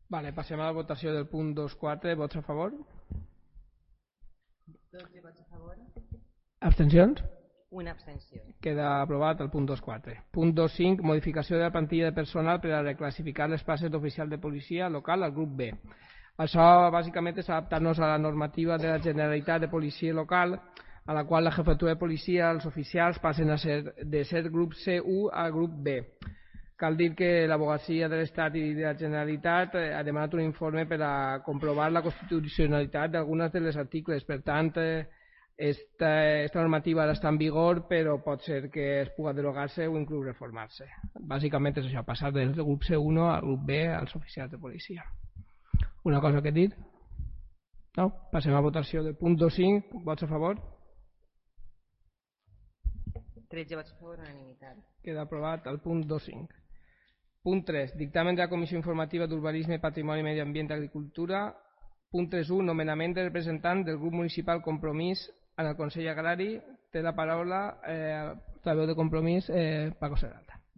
Vale, passem a la votació del punt 2.4. Vots a favor? 12 vots a favor. Abstencions? Una abstenció. Queda aprovat el punt 2.4. Punt 2.5. Modificació de la plantilla de personal per a reclassificar les places d'oficial de policia local al grup B. Això bàsicament és adaptar-nos a la normativa de la Generalitat de Policia Local, a la qual la jefatura de policia, els oficials, passen a ser de ser grup C1 a grup B. Cal dir que l'Advocacia de l'Estat i de la Generalitat ha demanat un informe per a comprovar la constitucionalitat d'algunes de les articles. Per tant, esta normativa ara està en vigor, però pot ser que es pugui derogar-se o inclús reformar-se. Bàsicament és això, passar del grup C1 al grup B als oficials de policia. Una cosa que dir? No? Passem a votació del punt 2.5. Vots a favor? 13 vots a favor, unanimitat. Queda aprovat el punt 2.5. Punt 3. Dictamen de la Comissió Informativa d'Urbanisme, Patrimoni, Medi Ambient i Agricultura. Punt 3.1. Nomenament de representant del grup municipal Compromís en el Consell Agrari. Té la paraula la veu de Compromís, Paco Serralda.